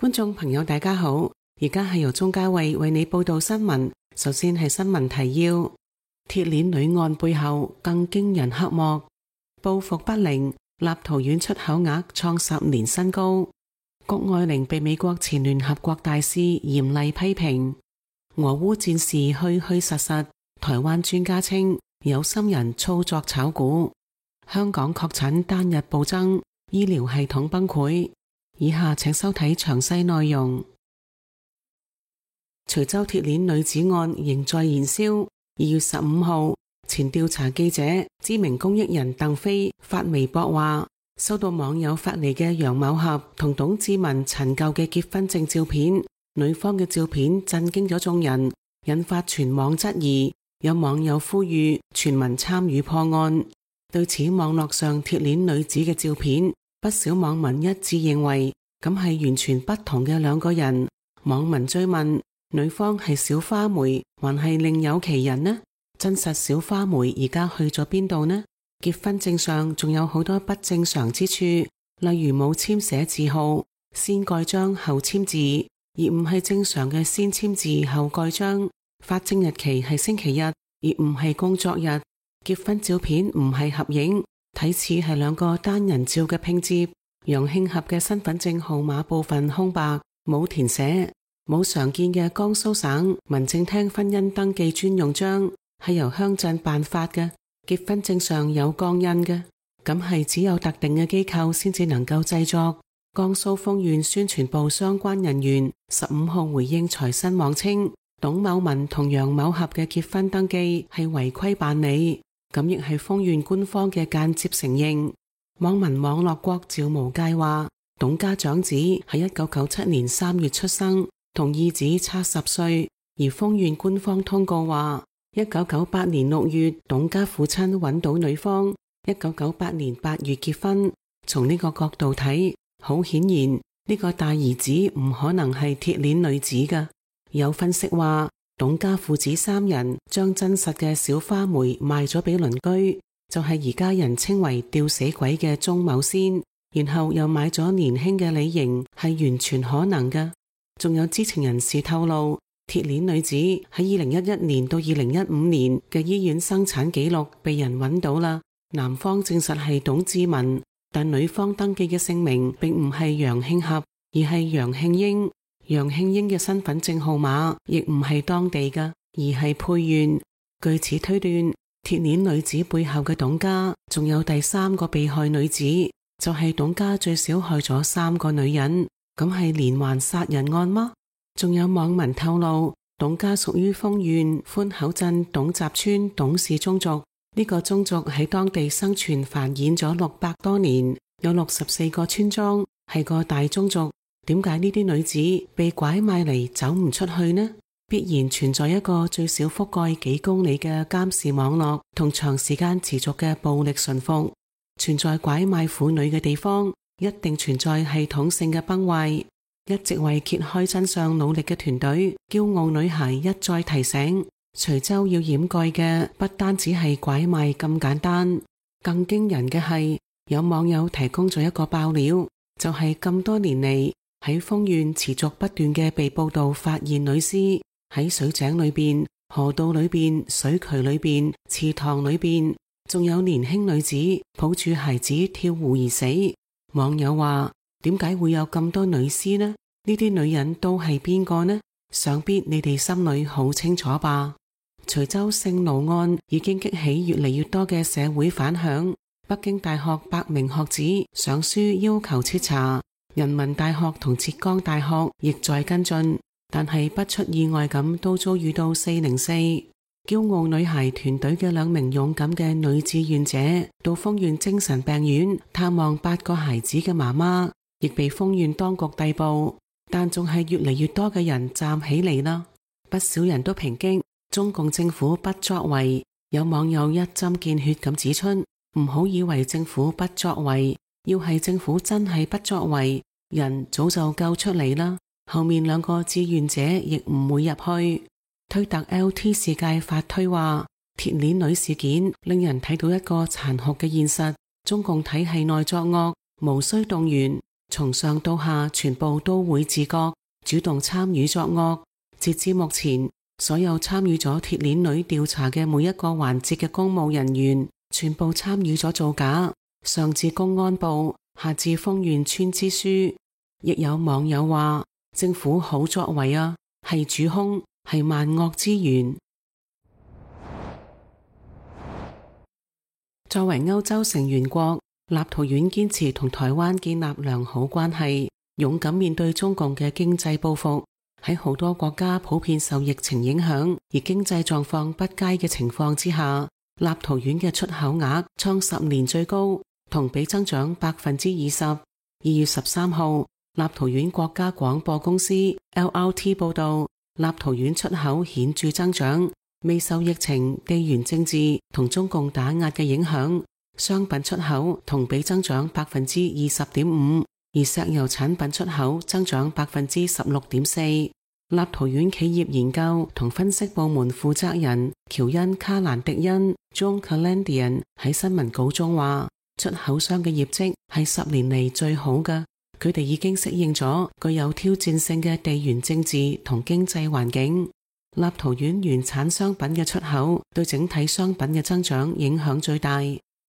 觀眾朋友大家好，而家係由鍾嘉慧為你報道新聞。首先係新聞提要：鐵鏈女案背後更驚人黑幕，報復不靈，立陶宛出口額創10年新高。谷愛凌被美國前聯合國大使嚴厲批評。俄烏戰事虛虛實實，台灣專家稱有心人操作炒股。香港確診單日暴增，醫療系統崩潰。以下請收睇詳細內容。徐州鐵鏈女子案仍在燃燒。2月15號，前調查記者、知名公益人鄧飛發微博話，收到網友發嚟嘅楊某俠同董志文陳舊嘅結婚證照片，女方嘅照片震驚咗眾人，引發全網質疑。有網友呼籲全民參與破案。對此，網絡上鐵鏈女子嘅照片，不少網民一致認為咁係完全不同嘅兩個人。網民追問，女方係小花梅還係另有其人呢？真實小花梅而家去咗邊度呢？結婚證上仲有好多不正常之處，例如冇簽寫字號，先蓋章後簽字，而唔係正常嘅先簽字後蓋章。發證日期係星期日，而唔係工作日。結婚照片唔係合影，睇似係兩個單人照嘅拼接。楊慶合嘅身份證號碼部分空白，冇填寫。冇常見嘅江蘇省民政廳婚姻登記專用章，係由鄉鎮辦發嘅。結婚證上有鋼印嘅，咁係只有特定嘅機構先至能夠製作。江蘇豐縣宣傳部相關人員15號回應財新網稱，董某文同楊某俠嘅結婚登記係違規辦理，咁亦係豐縣官方嘅間接承認。網民網絡國趙無界話，董家長子喺1997年3月出生，同二子差10歲，而豐縣官方通告話1998年6月董家父親揾到女方，1998年8月結婚。從呢個角度睇，好顯然呢個大兒子唔可能係鐵鏈女子㗎。有分析話，董家父子3人將真實嘅小花梅賣咗俾鄰居，就係而家人稱為吊死鬼嘅鍾某仙，然後又買咗年輕嘅李瑩，係完全可能㗎。仲有知情人士透露，鐵鏈女子喺2011年到2015年嘅醫院生產記錄被人揾到啦。男方證實係董志文，但女方登記嘅姓名並唔係楊慶合，而係楊慶英。楊慶英嘅身份證號碼亦唔係當地嘅，而係配縣。據此推斷，鐵鏈女子背後嘅董家仲有第3個被害女子，就係董家最少害咗3個女人。咁係連環殺人案嗎？仲有網民透露，董家屬於豐縣寬口鎮董集村董氏宗族。呢個宗族喺當地生存繁衍咗600多年，有64個村莊，係個大宗族。點解呢啲女子被拐賣嚟走唔出去呢？必然存在一個最少覆蓋幾公里嘅監視網絡，同長時間持續嘅暴力馴服。存在拐賣婦女嘅地方，一定存在系統性嘅崩壞。一直為揭開真相努力嘅團隊驕傲女孩一再提醒，徐州要掩蓋嘅不單只係拐賣咁簡單，更驚人嘅係有網友提供咗一個爆料，就係咁多年嚟喺豐縣持續不斷嘅被報道發現女屍喺水井裏邊、河道裏邊、水渠裏邊、池塘裏邊，仲有年輕女子抱住孩子跳湖而死。網友話，點解會有咁多女屍呢？呢啲女人都係邊個呢？想必你哋心裏好清楚吧。徐州性奴案已經激起越嚟越多嘅社會反響。北京大學8名學子上書要求徹查，人民大學同浙江大學亦在跟進，但係不出意外咁都遭遇到404。驕傲女孩團隊嘅2名勇敢嘅女志願者到豐縣精神病院探望8個孩子嘅媽媽，亦被豐縣當局逮捕，但仲係越嚟越多嘅人站起嚟啦。不少人都抨擊中共政府不作為，有網友一針見血咁指出，唔好以為政府不作為，要係政府真係不作為，人早就救出嚟啦。後面2個志願者亦唔會入去。推特 LT 世界發推話，鐵鏈女事件令人睇到一個殘酷嘅現實，中共體系內作惡，無需動員，從上到下全部都會自覺主動參與作惡。截至目前，所有參與咗鐵鏈女調查嘅每一個環節嘅公務人員，全部參與咗造假，上至公安部，下至豐縣村支書。亦有網友話，政府好作為啊，係主兇，係萬惡之源。作為歐洲成員國，立陶宛堅持同台灣建立良好關係，勇敢面對中共嘅經濟報復。喺好多國家普遍受疫情影響而經濟狀況不佳嘅情況之下，立陶宛嘅出口額創10年最高，同比增長20%。2月13號，立陶宛國家廣播公司 LRT 報道，立陶宛出口顯著增長，未受疫情、地緣政治同中共打壓嘅影響，商品出口同比增長20.5%，而石油產品出口增長16.4%。立陶宛企業研究同分析部門負責人喬恩卡蘭迪恩 John Calandian 喺新聞稿中話，出口商嘅業績係10年嚟最好嘅，佢哋已經適應咗具有挑戰性嘅地緣政治同經濟環境。立陶宛原產商品嘅出口對整體商品嘅增長影響最大，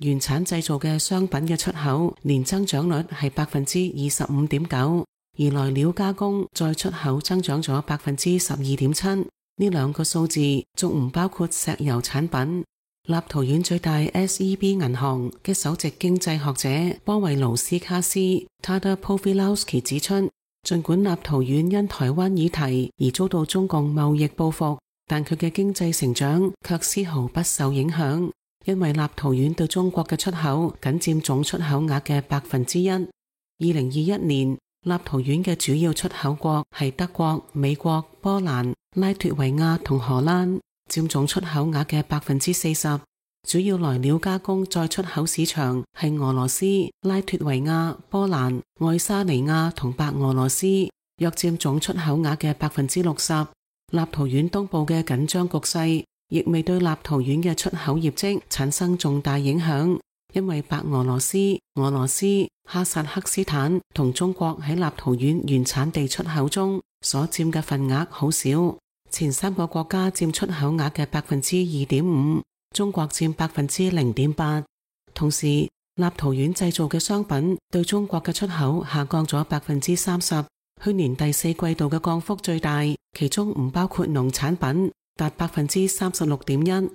原產製造嘅商品嘅出口年增長率係25.9%。而來料加工再出口增長咗12.7%，呢兩個數字仲唔包括石油產品。立陶宛最大 SEB 銀行嘅首席經濟學者波維盧斯卡斯 Tadeusz Povilowski 指出，盡管立陶宛因台灣議題而遭到中共貿易報復，但佢嘅經濟成長卻絲毫不受影響，因為立陶宛對中國嘅出口僅佔總出口額嘅1%。2021年，立陶宛嘅主要出口國係德國、美國、波蘭、拉脫維亞同荷蘭，佔總出口額嘅40%。主要來料加工再出口市場係俄羅斯、拉脫維亞、波蘭、愛沙尼亞同白俄羅斯，約佔總出口額嘅60%。立陶宛東部嘅緊張局勢亦未對立陶宛嘅出口業績產生重大影響，因為白俄羅斯、俄羅斯、哈薩克斯坦同中國喺立陶宛原產地出口中所佔嘅份額好少，前3個國家佔出口額嘅2.5%，中國佔0.8%。同時，立陶宛製造嘅商品對中國嘅出口下降咗30%，去年第4季度嘅降幅最大，其中唔包括農產品，達36.1%。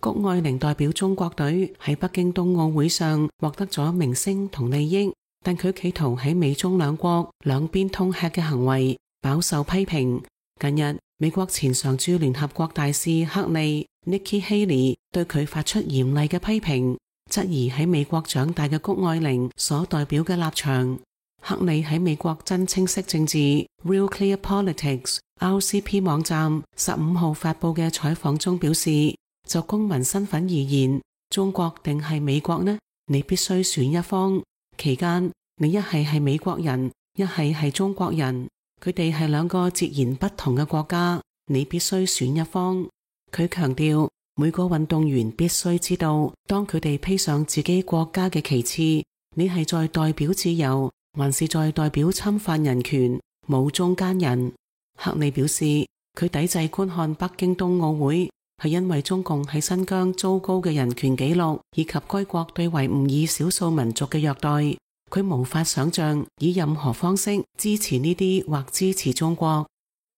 谷愛凌代表中國隊喺北京冬奧會上獲得咗名聲同利益，但佢企圖喺美中兩國兩邊通吃嘅行為飽受批評。近日，美國前常駐聯合國大使克利 Nikki Haley 對佢發出嚴厲嘅批評，質疑喺美國長大嘅谷愛凌所代表嘅立場。克利喺美國真清晰政治 Real Clear Politics RCP 網站15號發佈嘅採訪中表示，就公民身份而言，中國定係美國呢？你必須選一方。期間，你一係美國人，一係中國人，佢哋係兩個截然不同嘅國家，你必須選一方。佢強調，每個運動員必須知道，當佢哋披上自己國家嘅旗幟，你係在代表自由，還是在代表侵犯人權，冇中間人。克利表示，佢抵制觀看北京冬奧會，係因為中共喺新疆糟糕嘅人權紀錄，以及該國對維吾爾少數民族嘅虐待，佢無法想象以任何方式支持呢啲或支持中國。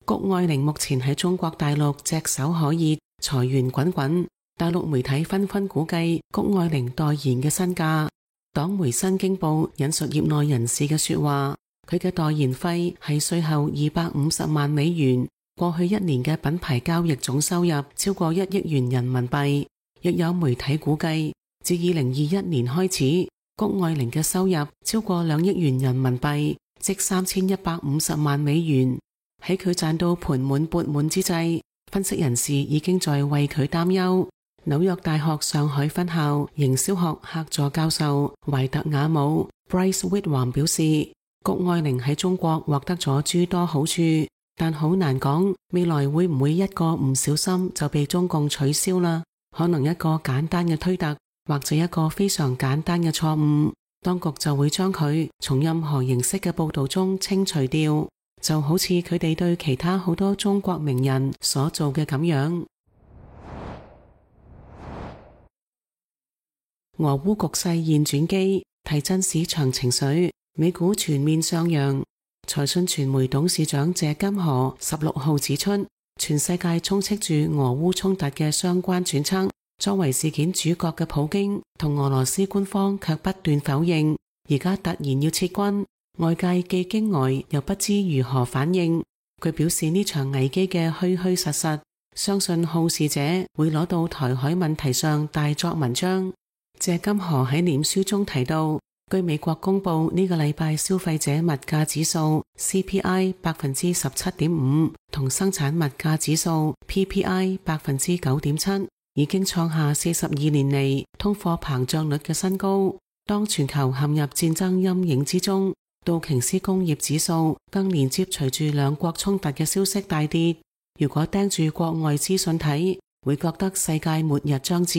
谷愛凌目前喺中國大陸炙手可熱，財源滾滾，大陸媒體紛紛估計谷愛凌代言嘅身價。黨媒新京報引述業內人士嘅說話，佢嘅代言費係稅後250萬美元。過去1年嘅品牌交易總收入超過1億元人民幣，亦有媒體估計，自2021年開始，谷愛凌嘅收入超過2億元人民幣，即3150萬美元。喺佢賺到盆滿缽滿之際，分析人士已經在為佢擔憂。紐約大學上海分校營銷學客座教授懷特雅姆 Bryce Whitwam 表示，谷愛凌喺中國獲得咗諸多好處，但好難講未來會唔會一個唔小心就被中共取消啦。可能一個簡單嘅推特或者一個非常簡單嘅錯誤，當局就會將佢從任何形式嘅報道中清除掉，就好似佢哋對其他好多中國名人所做嘅咁樣。俄烏局勢現轉機，提振市場情緒，美股全面上揚。財訊傳媒董事長謝金河16號指出，全世界充斥住俄烏衝突嘅相關揣測，作為事件主角嘅普京同俄羅斯官方卻不斷否認，而家突然要撤軍，外界既驚呆又不知如何反應。佢表示呢場危機嘅虛虛實實，相信好事者會攞到台海問題上大作文章。謝金河喺臉書中提到，據美國公布呢個禮拜消費者物價指數 CPI 17.5%同生產物價指數 PPI 9.7%，已經創下42年嚟通貨膨脹率嘅新高。當全球陷入戰爭陰影之中，道瓊斯工業指數更連接隨住兩國衝突嘅消息大跌。如果盯住國外資訊睇，會覺得世界末日將至。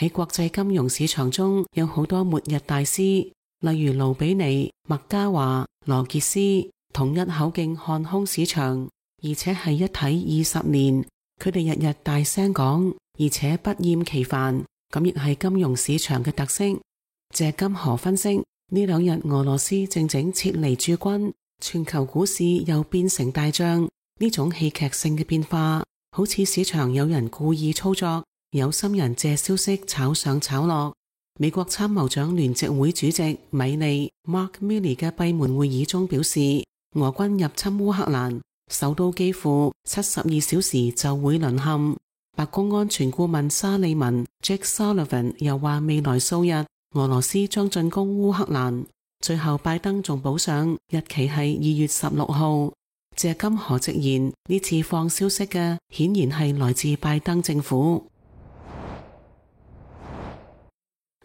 喺國際金融市場中有好多末日大師，例如盧比尼、麥嘉華、羅傑斯，統一口徑看空市場，而且係一睇20年。佢哋日日大聲講，而且不厭其煩，咁亦係金融市場嘅特色。謝金河分析，呢兩日俄羅斯正撤離駐軍，全球股市又變成大漲，呢種戲劇性嘅變化，好似市場有人故意操作，有心人借消息炒上炒落。美國參謀長聯席會主席米利 Mark Milley 嘅閉門會議中表示，俄軍入侵烏克蘭，首都幾乎72小時就會淪陷。白宮安全顧問沙利文 Jake Sullivan 又話，未來數日俄羅斯將進攻烏克蘭。最後拜登仲補上日期係2月16號。謝金河直言，呢次放消息嘅顯然係來自拜登政府。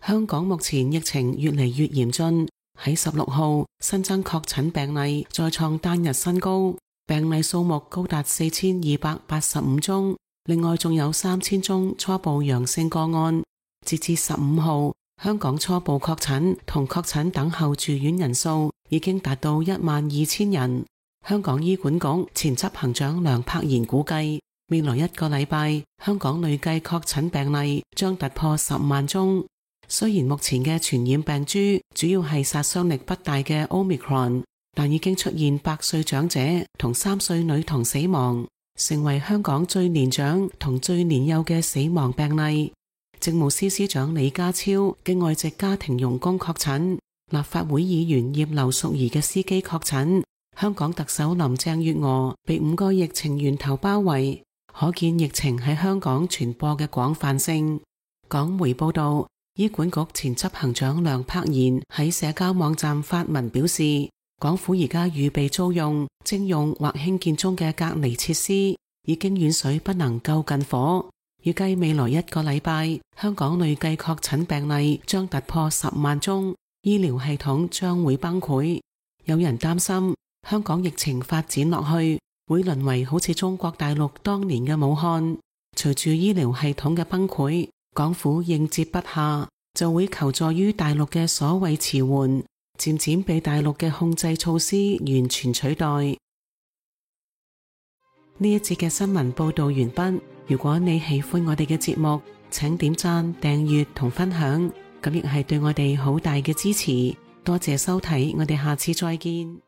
香港目前疫情越嚟越嚴峻，喺16號新增確診病例再創單日新高，病例數目高達4285宗，另外仲有3000宗初步陽性個案。截至15號，香港初步確診同確診等候住院人數已經達到12000人。香港醫管局前執行長梁柏賢估計，未來一個禮拜香港累計確診病例將突破10萬宗。雖然目前嘅傳染病株主要係殺傷力不大嘅 Omicron， 但已經出現8歲長者同3歲女童死亡，成為香港最年長同最年幼嘅死亡病例。政務司司長李家超嘅外籍家庭傭工確診，立法會議員葉劉淑儀嘅司機確診，香港特首林鄭月娥被5個疫情源頭包圍，可見疫情喺香港傳播嘅廣泛性。港媒報道，醫管局前執行長梁柏賢喺社交網站發文表示，港府而家預備租用、徵用或興建中嘅隔離設施已經遠水不能救近火，預計未來一個禮拜香港累計確診病例將突破10萬宗，醫療系統將會崩潰。有人擔心香港疫情發展落去會淪為好似中國大陸當年嘅武漢，隨住醫療系統嘅崩潰，港府應接不暇，就會求助於大陸嘅所謂遲緩，漸漸被大陸嘅控制措施完全取代。呢一節嘅新聞報道完畢。如果你喜歡我哋嘅節目，請點讚、訂閱同分享，咁亦係對我哋好大嘅支持。多謝收睇，我哋下次再見。